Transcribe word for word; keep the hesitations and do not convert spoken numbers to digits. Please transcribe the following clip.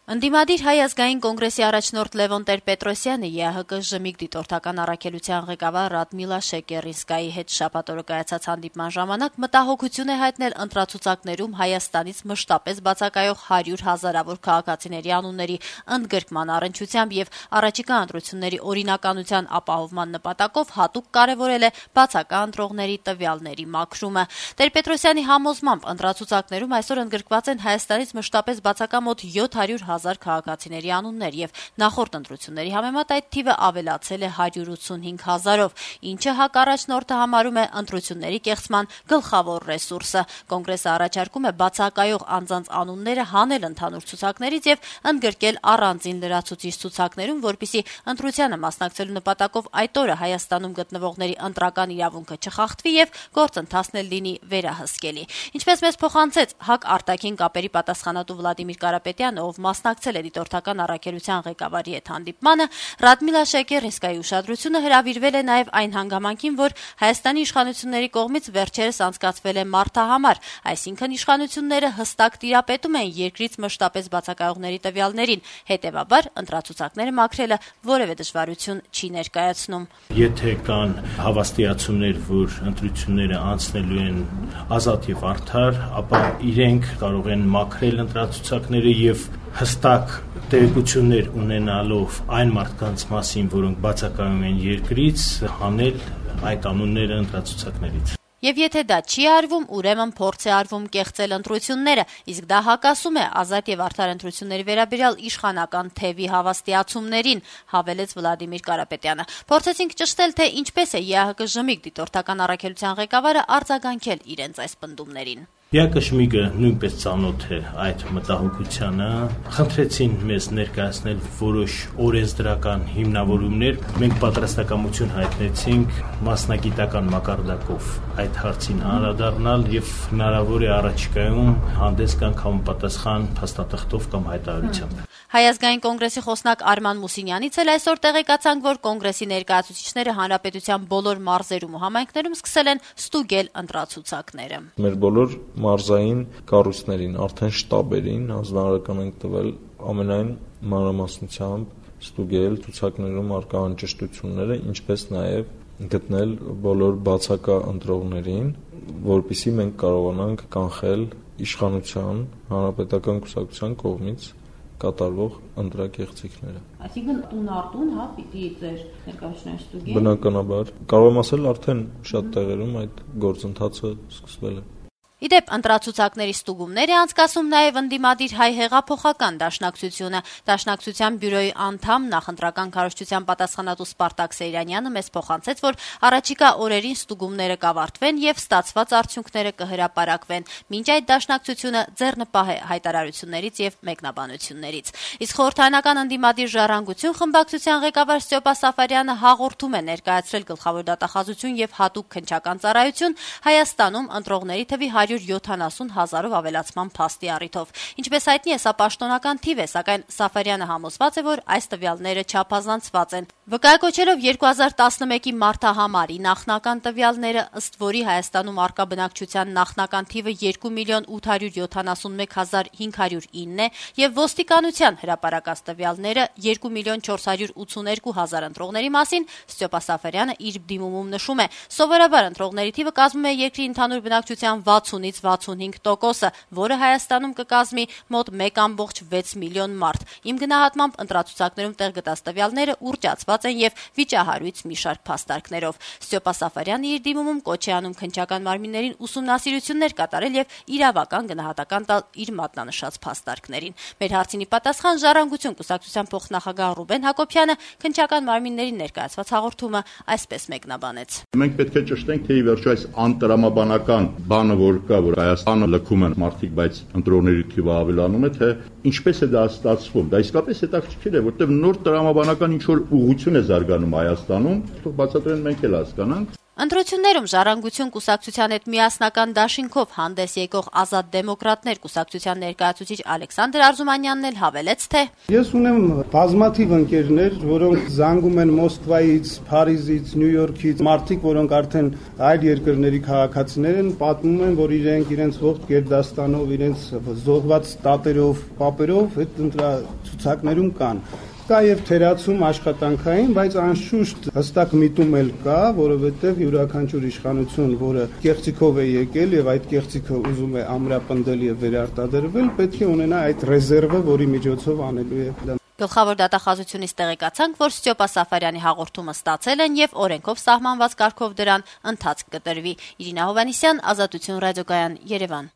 Ընդդիմադիր Հայ ազգային կոնգրեսի առաջնորդ Լևոն Տեր-Պետրոսյանը ԵԱՀԿ ժմիկ դիտորդական առաքելության ղեկավար Ռադմիլա Շեկերինսկայի հետ շաբաթ օրը կայացած հանդիպման ժամանակ մտահոգություն է հայտնել ընտրացուցակներում Հայաստանից մշտապես բացակայող հարյուր հազարավոր քաղաքացիների անունների ընդգրկման առնչությամբ եւ առաջիկա ընտրությունների օրինականության ապահովման նպատակով հատուկ կարեւորել է բացակա ընտրողների տվյալների մաքրումը։ Տեր-Պետրոսյանի համոզմամբ ընտրացուցակներում այսօր ընդգրկված են Հայաստանից մշտապես բացակա մոտ յոթ հարյուր հազար քաղաքացիների անուններ եւ նախորդ ընտրությունների համեմատ այդ թիվը ավելացել է հարյուր ութսունհինգ հազարով, ինչը ՀԱԿ առաջնորդը համարում է ընտրությունների կեղծման գլխավոր ռեսուրսը։ Կոնգրեսը առաջարկում է բացակայող անձանց անունները հանել ընդհանուր ցուցակներից եւ ընդգրկել առանձին լրացուցիչ ցուցակներում, որպեսզի ընտրությանը մասնակցելու նպատակով այդ օրը Հայաստանում գտնվողների ընտրական իրավունքը չխախտվի եւ գործընթացն էլ լինի վերահսկելի։ Ինչպես մեզ փոխանցեց ՀԱԿ արտաքին կապերի պատասխանատու Վլադիմիր Կարապետյանը, ով մասնակցել է դիտորդական առաքելության ղեկավարի հետ հանդիպմանը, Ռադմիլա Շեկերինսկայի ուշադրությունը հրավիրվել է նաև այն հանգամանքին, որ Հայաստանի իշխանությունների կողմից վերջերս անցկացվել է մարդահամար, այսինքն իշխանությունները հստակ տիրապետում են երկրից մշտապես բացակայողների տվյալներին, հետևաբար ընտրացուցակները մաքրելը որևէ դժվարություն չի ներկայացնում։ Եթե կան հավաստիացումներ, որ ընտրությունները անցնելու են ազատ եւ արդար, ապա իրենք կարող են մաքրել ընտրացուցակները եւ հստակ տեղեկություններ ունենալով այն մարդկանց մասին, որոնք բացակայում են երկրից, հանել այդ անունները ընտրացուցակներից։ Եվ եթե դա չի արվում, ուրեմն փորձ է արվում կեղծել ընտրությունները, իսկ դա հակասում է ազատ եւ արդար ընտրությունների վերաբերյալ իշխանական թևի հավաստիացումներին, հավելեց Վլադիմիր Կարապետյանը։ Փորձեցինք ճշտել, թե ինչպես է ԵԱՀԿ ժմիկ դիտորդական առաքելության ղեկավարը արձագանքել իրենց այս պնդումներին։ ԵԱՀԿ ժմիկը նույնպես ծանոթ է այդ մտահոգությանը, խնդրեցին մեզ ներկայացնել որոշ օրենսդրական հիմնավորումներ, մենք պատրաստակամություն հայտնեցինք մասնագիտական մակարդակով այդ հարցին անդրադառնալ եւ հնարավոր է առաջիկայում հանդես գանք համապատասխան փաստաթղթով կամ հայտարարությամբ։ Հայ ազգային կոնգրեսի խոսնակ Արման Մուսինյանից էլ այսօր տեղեկացանք, որ կոնգրեսի ներկայացուցիչները հանրապետության բոլոր մարզերում ու համայնքներում սկսել են ստուգել ընտրացուցակները։ Մեր բոլոր մարզային կառույցներին, արդեն շտաբերին հանձնարարական ենք տվել ամենայն մանրամասնությամբ ստուգել ցուցակներում առկա անճշտությունները, ինչպես նաև գտնել բոլոր բացակա ընտրողներին, որպեսզի մենք կարողանանք կանխել իշխանության, հանրապետական կուսակցության կողմից կատարվող ընտրակեղծիքները։ Այսինքն տուն արտուն, հա, պիտի ձեր ներկայացուցիչները ստուգեն։ Բնականաբար, կարող եմ ասել, արդեն շատ տեղերում այդ գործընթացը սկսվել է։ Իդեպ ընտրացուցակների ստուգումներ է անցկացում նաև ընդդիմադիր Հայ հեղափոխական դաշնակցությունը։ Դաշնակցության բյուրոյի անդամ, նախընտրական քարոզչության պատասխանատու Սպարտակ Սեյրանյանը մեզ փոխանցեց, որ առաջիկա օրերին ստուգումները կավարտվեն եւ ստացված արդյունքները կհրապարակվեն։ Մինչ այդ դաշնակցությունը ձեռնպահ է հայտարարություններից եւ մեկնաբանություններից։ Իսկ խորհրդարանական ընդդիմադիր Ժառանգություն խմբակցության ղեկավար Ստյոպա Սաֆարյանը հաղորդում է ներկայացրել գլխավոր դատախազություն եւ հատուկ քննչական ծառայություն Հայաստանում ընտրողների թվի հարյուր յոթանասուն հազարով ավելացման փաստի առիթով։ Ինչպես հայտնի է, սա պաշտոնական թիվ է, սակայն Սաֆարյանը համոզված է, որ այս տվյալները չափազանցված են։ Վկայակոչելով երկու հազար տասնմեկի մարտահամարի նախնական տվյալները, ըստ որի Հայաստանում առկա բնակչության նախնական թիվը երկու միլիոն ութ հարյուր յոթանասունմեկ հազար հինգ հարյուր ինն է եւ ոստիկանության հրապարակած տվյալները երկու միլիոն չորս հարյուր ութսուներկու հազար ընտրողների մասին, Ստյոպա Սաֆարյանը իր դիմումում նշում է. սովորաբար ընտրողների թիվը կազմում է երկրի ընդհանուր բնակչության վաթսունից վաթսունհինգ տոկոսը, որը Հայաստանում կկազմի մոտ մեկ ամբողջ վեց միլիոն մարդ։ Իմ գնահատմամբ ընտրացուցակներում տեղ գտած տվյալները ուռճացված են եւ վիճահարույց մի շարք փաստարկներով։ Ստյոպա Սաֆարյանը իր դիմումում կոչ է անում քննչական մարմիններին ուսումնասիրություններ կատարել եւ իրավական գնահատական տալ իր մատնանշած փաստարկներին։ Մեր հարցինի պատասխան Ժառանգություն կուսակցության փոխնախագահ Ռուբեն Հակոբյանը քննչական մարմիններին ներկայացված հաղորդումը այսպես մեկնաբանեց։ Մենք պետք է ճշտենք, թե ի վերջո այս անտրամաբանական բանը, որ կա, որ Հայաստանը լքում են մարդիկ, բայց ընտրողների թիվը ավելանում է, թե ինչպես է դա ստացվում։ Դա իսկապես հետաքրքիր է, որտեղ նոր տրամաբանական ինչ որ ուղղություն է զարգանում Հայաստանում, թող բացատրեն մենք էլ հասկանանք։ Ընտրություններում Ժառանգություն կուսակցության հետ միասնական դաշինքով հանդես եկող ազատ դեմոկրատներ կուսակցության ներկայացուցիչ Ալեքսանդր Արզումանյանն էլ հավելեց, թե Ես ունեմ բազմաթիվ ընկերներ, որոնք զանգում են Մոսկվայից, Փարիզից, Նյու Յորքից, մարդիկ, որոնք արդեն այլ երկրների քաղաքացիներ են, պատմում են, որ իրենք իրենց ողջ գերդաստանով, իրենց զոհված տատերով, պապերով այդ ցուցակներում կան։ Կա եւ թերացում աշխատանքային, բայց անշուշտ հստակ միտում էլ կա, որովհետեւ յուրաքանչյուր իշխանություն, որը կեղծիքով է եկել եւ այդ կեղծիքը ուզում է ամրապնդել եւ վերարտադրվել, պետք է ունենա այդ ռեզերվը, որի միջոցով անելու է դա։ Գլխավոր դատախազությունից տեղեկացանք, որ Ստյոպա Սաֆարյանի հաղորդումը ստացել են եւ օրենքով սահմանված կարգով դրան ընթացք կտրվի։ Իրինա Հովհաննիսյան, Ազատություն ռադիոկայան, Երևան։